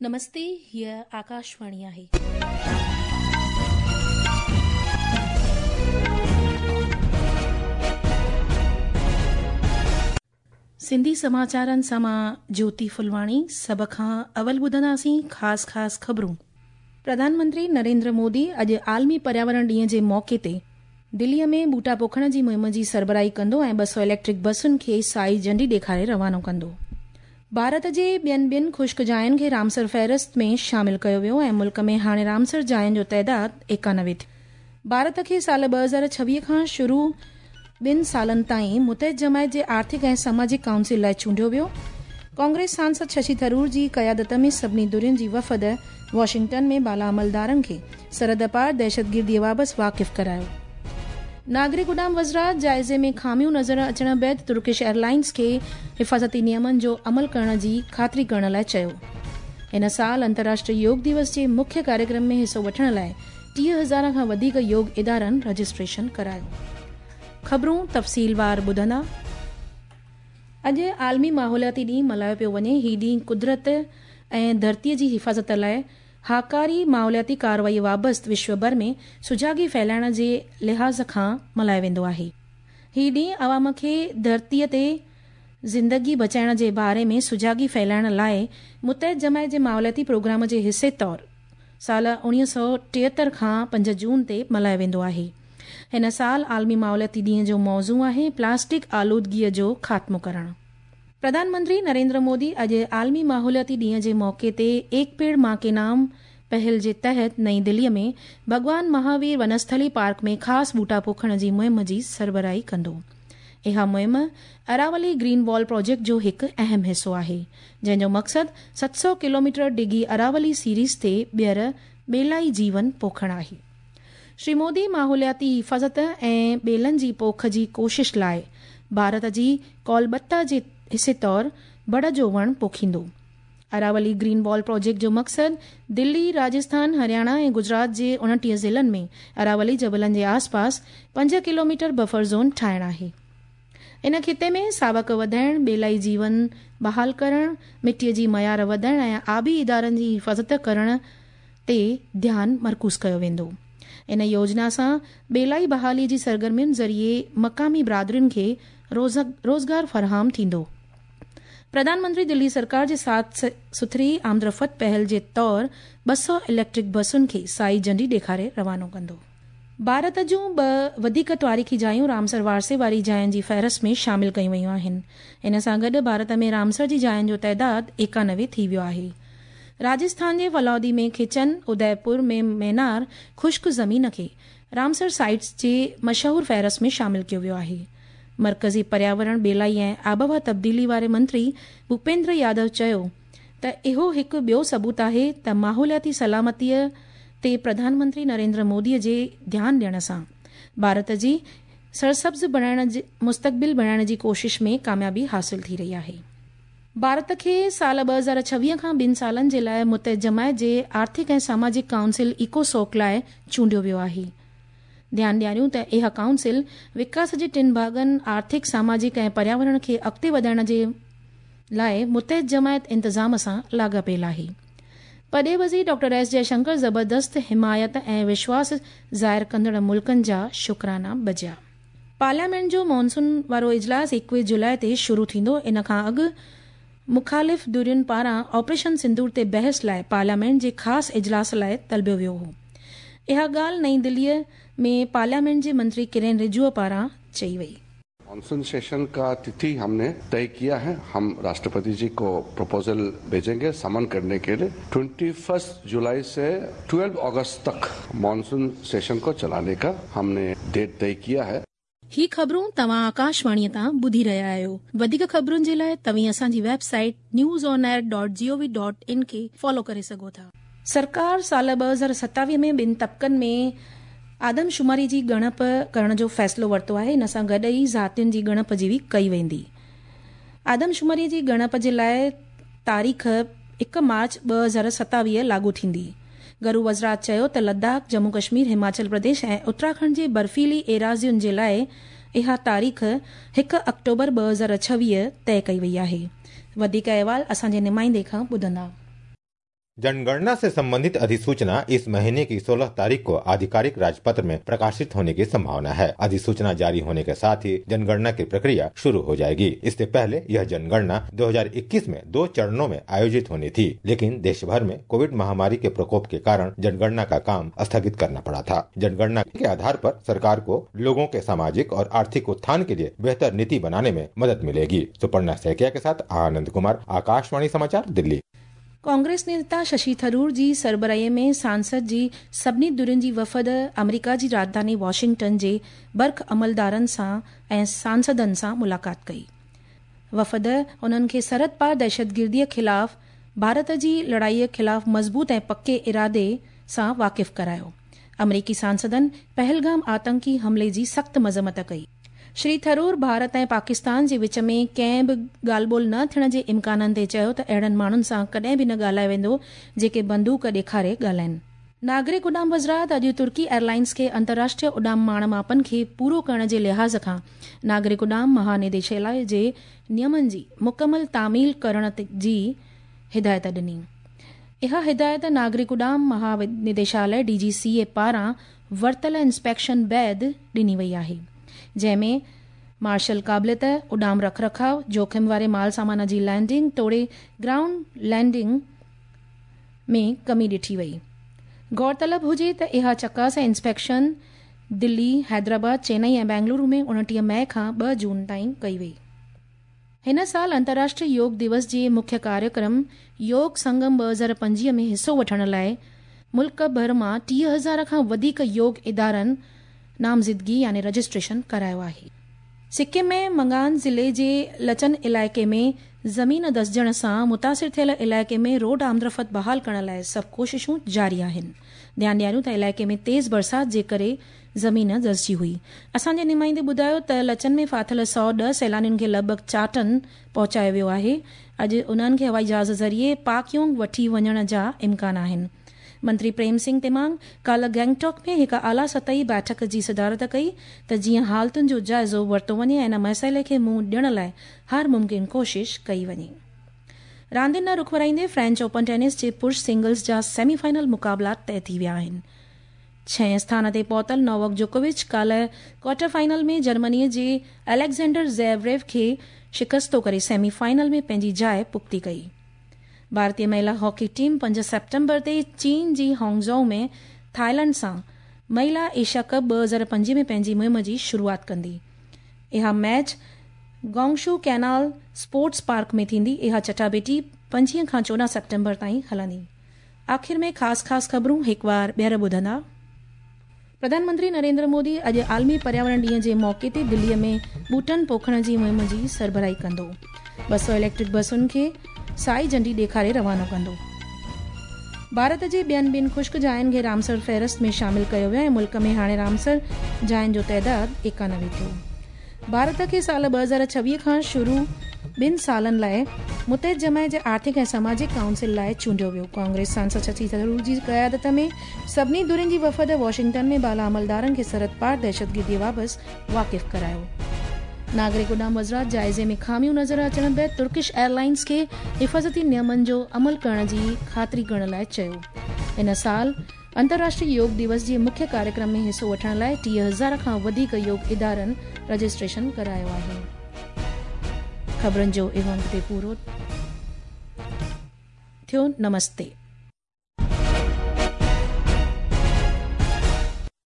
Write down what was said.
نمستي، هيء آڪاشواڻي آهي. سنڌي سماچارن سان مان جيوتي ڦلواڻي سڀ کان اول ٻڌنداسين خاص خاص خبرون. پرڌان منتري نريندر مودي اڄ عالمي پرياورڻ ڏينهن جي موقعي تي دليء ۾ ٻوٽا پوکڻ جي مهم جي سربراهي ڪندو ۽ 200 اليڪٽرڪ بسن کي سائي جهنڊي ڏيکاري روانو ڪندو. ڀارت جي ٻين ٻن خشڪ جاين کي رامسر فهرست ۾ شامل ڪيو ويو ۽ ملڪ ۾ هاڻي رامسر جاين جو تعداد 91 ٿيو. ڀارت کي سال 2026 کان شروع ٻن سالن تائين متحد جماعت جي آرٿڪ ۽ سماجڪ ڪائونسل لاء چونڊيو ويو. ڪانگريس سانسد ششي ٿرور جي قيادت ۾ سڀني ڌرين جي وفد واشنگٽن ۾ بالا عملدارن کي سرحد پار دهشتگردي بابت واقف ڪرايو. ناگرڪ اڏام وزارت جائزي ۾ خاميون نظر اچڻ بعد ترڪش ايئرلائنز کي حفاظتي نيمن جو عمل ڪرڻ جي خاطري ڪرڻ لاء چيو. هن سال انترراشٽريه يوگ ديوس جي مکيه ڪاريڪرم ۾ حصو وٺڻ لاء 30 هزار کان وڌيڪ يوگ ادارن رجسٽريشن ڪرايو. خبرون تفصيلوار ٻڌندا. اڄ عالمي ماحولياتي ڏينهن ملهايو پيو وڃي. هي ڏينهن قدرت ۽ ڌرتيء جي حفاظت لاء هاڪاري ماحولياتي ڪارروائي وابست وشو ڀر ۾ سجاڳي ڦهلائڻ جي لحاظ کان ملهايو ويندو آهي. هي ڏينهن عوام کي ڌرتيء تي زندگي بچائڻ جي باري ۾ سجاڳي ڦهلائڻ لاء متحد جماعت جي ماحولياتي پروگرام جي حصي طور سال 1973 کان 5 جون تي ملهايو ويندو آهي. هن سال عالمي ماحولياتي ڏينهن جو موضوع آهي پلاسٽڪ آلودگيء جو خاتمو ڪرڻ. پرڌان منتري نريندر مودي اڄ عالمي ماحولياتي ڏينهن جي موقعي تي ايڪ پيڙ مان ڪي نام پهل جي تحت نئين دليء ۾ ڀڳوان مهاوير ونسٿلي پارڪ ۾ خاص ٻوٽا پوکڻ جي مهم جي سربراهي ڪندو. اها مهم اراولي گرين وال پروجيڪٽ جو هڪ اهم حصو آهي، جنهن جو مقصد 700 ڪلوميٽر ڊگهي اراولي سيريز تي ٻيهر ٻيلائي جيون پوکڻ آهي. شري مودي ماحولياتي حفاظت ۽ ٻيلن جي پوک جي ڪوشش لاء ڀارت جي ڪولبتا جي حصي طور بڙ جو وڻ پوکيندو. اراولي گرين وال پروجيڪٽ جو مقصد دلي، راجسٿان، هرياڻا ۽ گجرات جي 29 ضلعن ۾ اراولي جبلن جي آس پاس 5 ڪلوميٽر بفر زون ٺاهڻ آهي. ان خطي ۾ ساوڪ وڌائڻ، ٻيلائي جيون بحال ڪرڻ، مٽيء جي معيار وڌائڻ ۽ آبي ادارن جي حفاظت ڪرڻ تي ڌيان مرڪوز ڪيو ويندو. ان يوجنا سان ٻيلائي بحالي جي سرگرمين ذريعي مقامي برادرين کي روزگار فراهم ٿيندو. پرڌان منتري دلي سرڪار جي سات سٿري آمدرفت پهل جي طور 200 اليڪٽرڪ بسن کي سائي جهنڊي ڏيکاري روانو ڪندو. ڀارت جون ٻه وڌيڪ تواريخي جايون رامسر وارثي واري جاين جي فهرست ۾ شامل ڪيون ويون آهن. ان سان گڏ ڀارت ۾ رامسر جي جاين جو تعداد 91 ٿي ويو آهي. راجسٿان جي ڦلودي ۾ کچن، اديپور ۾ مينار خشڪ زمين کي رامسر سائيٽس جي مشهور فهرست ۾ شامل ڪيو ويو آهي. مرڪزي پرياورڻ، ٻيلائي ۽ آبهوا تبديلي واري منتري ڀوپيندر يادو چيو ته اهو هڪ ٻيو ثبوت آهي ته ماحولياتي سلامتيء تي پرڌان منتري نريندر مودي جي ڌيان ڏيڻ سان ڀارت جي سرسبز بڻائڻ مستقبل بڻائڻ جي ڪوشش ۾ ڪاميابي حاصل ٿي رهي آهي. ڀارت کي سال 2026 کان ٻن سالن جي لاء متحد جماعت جي آرٿڪ ۽ سماجڪ ڪائونسل ايڪوسوڪ لاء چونڊيو ويو آهي. ڌيان ڏياريون ته اها ڪائونسل وڪاس جي ٽن ڀاڳن آرٿڪ، سماجڪ ۽ پرياورڻ کي اڳتي وڌائڻ جي لاء متحد جماعت انتظام سان لاڳاپيل آهي. پرڏيهي وزير ڊاڪٽر ايس جئشنڪر زبردست حمايت ۽ وشواس ظاهر ڪندڙ ملڪن جا شڪرانا بجا. پارليامينٽ جو مانسون وارو اجلاس 21 جولاء تي شروع ٿيندو، ان کان اڳ مخالف ڌرين پاران آپريشن سندور تي بحث لاء پارليامينٽ جي خاص اجلاس لاء طلبيو ويو هو. اها ڳالهه نئين دليء ۾ پارليامينٽ جي منتري ڪرين رجوء پاران چئي وئي. مانسون سيشن کا تٿي هم ني طئي ڪيا هي، هم راشٽرپتي جي ڪو پروپوزل ڀيجينگي سمن ڪرني ڪي لئي ٽوئنٽي فرسٽ جولاء سي ٽوئيلو آگسٽ تڪ مانسون سيشن ڪو چلاني ڪا هم ني ڊيٽ طئي ڪيا هي. هي خبرون توهان آڪاشواڻيء تان ٻڌي رهيا آهيو. وڌيڪ خبرن جي لاء توهين اسان جي website news on air dot G O V dot in کي فالو ڪري سگهو ٿا. سرڪار سال 2027 ۾ ٻن طبقن ۾ آدمشماري جي ڳڻپ ڪرڻ جو فيصلو ورتو آهي، ان سان گڏ ئي ذاتين جي ڳڻپ جي به ڪئي ويندي. آدمشماري جي ڳڻپ جي لاء تاريخ 1 مارچ 2027 لاڳو ٿيندي. گهرو وزارت چيو ته لداخ، ڄمون ڪشمير، هماچل پرديش ۽ اتراکنڊ جي برفيلي ايراضين جي لاء اها تاريخ 1 آڪٽوبر 2026 طئي ڪئي وئي آهي. وڌيڪ احوال اسان جي نمائندي کان ٻڌندا. जनगणना से संबंधित अधिसूचना इस महीने की 16 तारीख को आधिकारिक राजपत्र में प्रकाशित होने की संभावना है। अधिसूचना जारी होने के साथ ही जनगणना की प्रक्रिया शुरू हो जाएगी। इससे पहले यह जनगणना 2021 में 2 चरणों में आयोजित होनी थी, लेकिन देश भर में कोविड महामारी के प्रकोप के कारण जनगणना का काम स्थगित करना पड़ा था। जनगणना के आधार पर सरकार को लोगों के सामाजिक और आर्थिक उत्थान के लिए बेहतर नीति बनाने में मदद मिलेगी। सुपर्णा सैकिया के साथ आनंद कुमार, आकाशवाणी समाचार, दिल्ली। कांग्रेस नेता शशि थरूर जी सरबराही में सांसद जी सभिनी धुरियुनि जी वफ़द अमेरिका जी राजधानी वॉशिंगटन जे बर्ख अमलदारनि सां ऐं सांसदनि सां मुलाक़ात कई। वफ़द उन्हनि खे सरहद पार दहशतगिर्दीअ ख़िलाफ़ भारत जी लड़ाईअ ख़िलाफ़ मज़बूत ऐं पके इरादे सां वाक़िफ़ करायो। अमरीकी सांसदनि पहलगाम आतंकी हमले जी सख़्त मज़म्मत कई। श्री थरूर भारत ऐं पाकिस्तान जे विच में कंहिं बि ॻाल्हि ॿोल न थियण जे इम्काननि ते चयो त अहिड़नि माण्हुनि सां कॾहिं बि न ॻाल्हायो वेंदो जेके बंदूक ॾेखारे ॻाल्हाइनि। नागरिक उॾाम वज़ारत अॼु तुर्की एयरलाइंस खे अंतर्राष्ट्रीय उॾाम माण मापनि खे पूरो करण जे लिहाज़ खां नागरिक उॾाम महानिदेशालय जे नियमनि जी मुकमल तामील करण जी हिदायत ॾिनी। इहा हिदायत नागरिक उॾाम महानिदेशालय DGCA पारां वरितल इंस्पेक्शन बाद ॾिनी वई आहे, जंहिंमें मार्शल क़ाबिलियत, उॾाम रखरखाव, जोख़िम वारे माल सामान जी लैंडिंग तोड़े ग्राउंड लैंडिंग में कमी ॾिठी वई। गौरतलब हुजे त इहा चकास ऐं इंस्पेक्शन दिल्ली, हैदराबाद, चेन्नई ऐं बेंगलुरु में 29 मई खां 2 जून ताईं कई वई। हिन साल अंतर्राष्ट्रीय योग दिवस जे मुख्य कार्यक्रम योग संगम 2025 में हिसो वठण लाइ मुल्क भर मां 30,000 खां वधीक योग इदारनि नामज़दगी यानी रजिस्ट्रेशन करायो आहे। सिक्किम में मंगान ज़िले जे लचन इलाइक़े में ज़मीन दसजण सां मुतासिर थियल इलाइक़े में रोड आमदरफ़्त बहाल करण लाइ सभु कोशिशूं जारी आहिनि। ध्यानु ॾियारियूं त इलाइक़े में तेज़ बरसाति जे करे ज़मीन दसजी हुई। असांजे नुमाइंदे ॿुधायो त लचन में फाथिल 110 सैलानियुनि खे लॻभॻि 4 टन पहुचायो वियो आहे। अॼु उन्हनि खे हवाई जहाज़ ज़रिए पाकयोंग वठी वञण जा इम्कान आहिनि। मंत्री प्रेम सिंह तिमांग काल्ह गैंगटॉक में हिकु आला सतही बैठक जी सदारत कई त जीअं हालतुनि जो जाइज़ो वरितो वञे ऐं इन मसइले खे मुंहुं ॾियण लाइ हर मुमकिन कोशिश कई वञे। रांदियुनि ॾांहुं रुख वराईंदे फ्रेंच ओपन टेनिस जे पुरुष सिंगल्स जा सेमीफाइनल मुक़ाबला तय थी विया आहिनि। छहें स्थान ते पहुतल नोवाक जोकोविच काल्ह क्वार्टर फाइनल में जर्मनीअ जे अलेक्ज़ेंडर ज़ेवरेव खे शिकस्तो करे सेमीफाइनल में पंहिंजी जाइ पुख़्ती कई। भारतीय महिला हॉकी टीम 5 सेप्टेम्बर ते चीन जी हांगझोउ में थाईलैंड सां महिला एशिया कप 2025 में पंहिंजी मुहिम जी शुरूआत कंदी। इहा match Gongshu canal sports park में थींदी। इहा चटाबेटी 25 खां 14 सेप्टेम्बर ताईं हलंदी। आख़िर में ख़ासि ख़ासि ख़बरूं हिकु वार ॿीहर ॿुधंदा। प्रधानमंत्री नरेंद्र मोदी अॼु आलमी पर्यावरण ॾींहं जे मौक़े ते दिल्लीअ में ॿूटनि पोखण जी मुहिम जी सरबराही कंदो। 200 इलेक्ट्रिक बसुनि खे साई झंडी ॾेखारे रवानो कंदो। भारत जे ॿियनि ॿिनि ख़ुश्क जाइनि खे रामसर फ़हरिस्त में शामिल कयो वियो ऐं मुल्क में हाणे रामसर जाइनि जो तादाद 91 थियो। भारत खे साल 2026 खां शुरू 2 सालनि लाइ मुतहिद जमायत जे आर्थिक ऐं सामाजिक काउंसिल लाइ चूंडियो वियो। कांग्रेस सांसद शशि थरूर जी क़यादत में सभिनी धुरियुनि जी वफ़द वॉशिंगटन में बाला अमलदारनि खे सरहद पार दहशतगिर्दीअ बाबति वाक़िफ़ करायो। नागरिक उॾाम वज़ारत जाइज़े में ख़ामियूं नज़र अचण बाद तुर्किश एयरलाइंस खे हिफ़ाज़ती नियमनि जो अमल करण जी ख़ातिरी करण लाइ चयो। हिन साल अंतर्राष्ट्रीय योग दिवस जे मुख्य कार्यक्रम में हिसो वठण लाइ 30,000 खां वधीक योग इदारनि रजिस्ट्रेशन करायो आहे। ख़बरुनि जो इहो अंक ते पूरो थियो। नमस्ते।